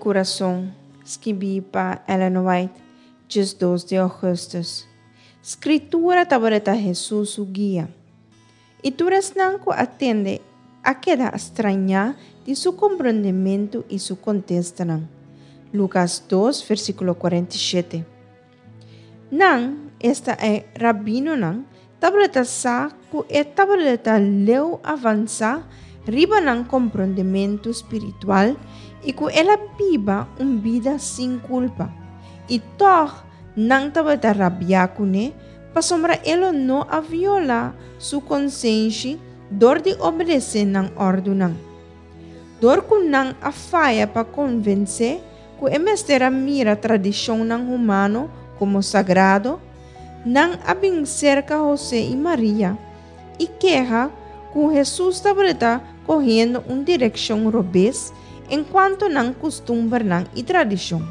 Kurason, skibí pa Ellen White, 12 di ougùstùs. Skritura tabata Hesus su guia. I tur esnan ku a tende a keda strañá di su komprondementu i su kontestanan. Lukas 2, versíkulo 47. Nan, esta e rabinonan, tabata sa ku e tabata leu avansá riba nan komprondementu spiritual i ku el a biba un bida sin kulpa. I tòg nan tabata rabiá kuné pasobra e lo no a violá su konsenshi dor di obedesé nan òrdunan. Dor ku nan a faya pa konvensé ku e mester a mira tradishonnan humano komo sagrado, nan a bin serka Hosé i Maria i keha ku Hesus tabata kohiendo un direkshon robes enkuanto nan kustumbernan i tradishon.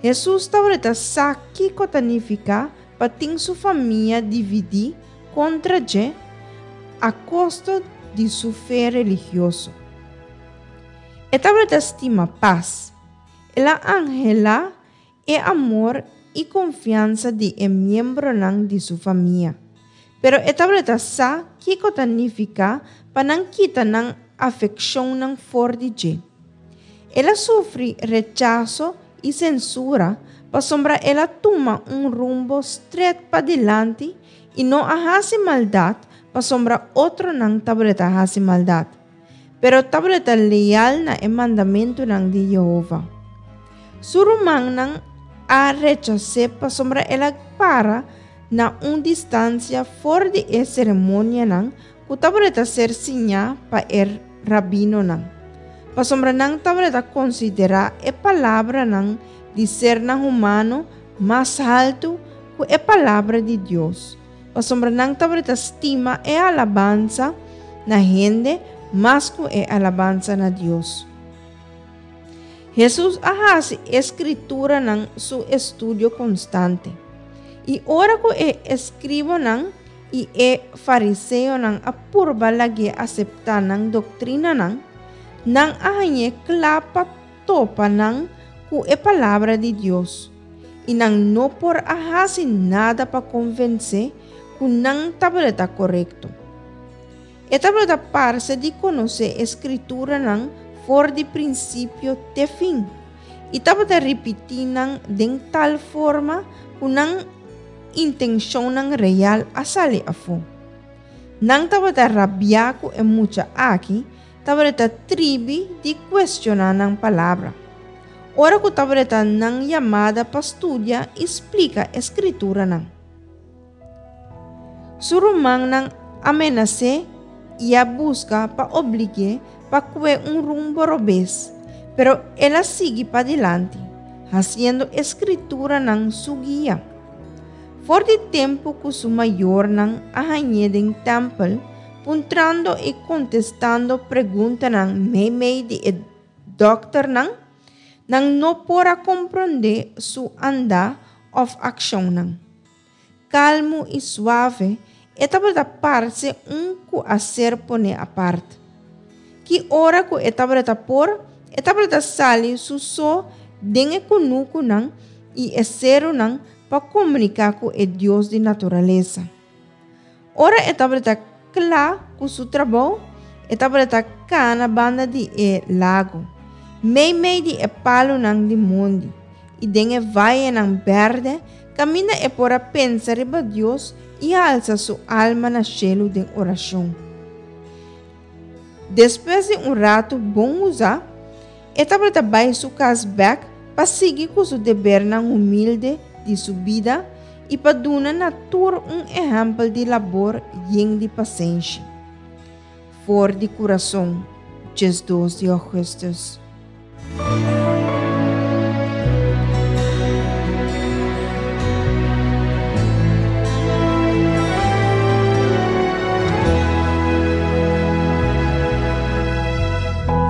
Hesus tabata sa kiko ta nifiká pa tin su famia dividí kontra dje a kosto di su fe religioso. E tabata stima pas. El a anhelá e amor i konfiansa di e miembronan di su famia. Pero e tabata sa kiko ta nifiká pa nan kita nan afekshonnan for di dje. El a sufri rechaso i sensura pasobra el a tuma un rumbo stret padilanti i no a hasi maldat pasobra otronan tabata hasi maldat, pero tabata leal na e mandamentunan di Yehova. Su rumannan a rechas'é pasobra el a para na un distansia for di e seremonianan ku tabata ser siñá pa e rabinonan, pasobra nan tabata konsiderá e palabranan di sernan humano mas haltu ku e Palabra di Dios, pasobra nan tabata stima e alabansa na hende mas ku e alabansa na Dios. Hesus a hasi e Skrituranan su estudio konstante. I ora ku e eskribonan i e fariseonan a purba lag'é aseptá nan doktrinanan, nan a hañ'é kla pa topa nan ku e Palabra di Dios, i nan no por a hasi nada pa konvensé ku nan tabata korekto. E tabata parse di konosé e Skrituranan for di prinsipio te fin, i tabata ripití nan den tal forma ku nan intenshonnan real a sali afó. Nan tabata rabiá ku e mucha aki tabata tribi di kuestioná nan palabra, ora ku tabata nan yamada pa studia i splika e Skrituranan. Su rumannan a menas'é i a buska pa oblig'é pa kue un rumbo robes, pero el a sigui padilanti, hasiendo e Skrituranan su guia. For di tempu ku su mayornan a hañ'é den tèmpel, puntrando i kontestando preguntanan meimei di e dòkternan, nan no por a komprondé su andá òf akshonnan. Kalmu i suave, e tabata parse un ku a ser poné apart. Ki ora ku e tabata por, e tabata sali su so den e kunukunan i e serunan pa komuniká ku e Dios di naturalesa. Ora e tabata kla ku su trabou, e tabata kana banda di e lago, meimei di e palunan di mondi i den e vayenan bèrdè kaminda e por a pensa riba Dios i halsa su alma na shelu den orashon. Despues di un ratu bon usá, e tabata bai su kas bèk pa sigui ku su debernan humilde di su bida i pa duna na tur un ehèmpel di labor yen di pasenshi. For di kurason, 12 di ougùstùs.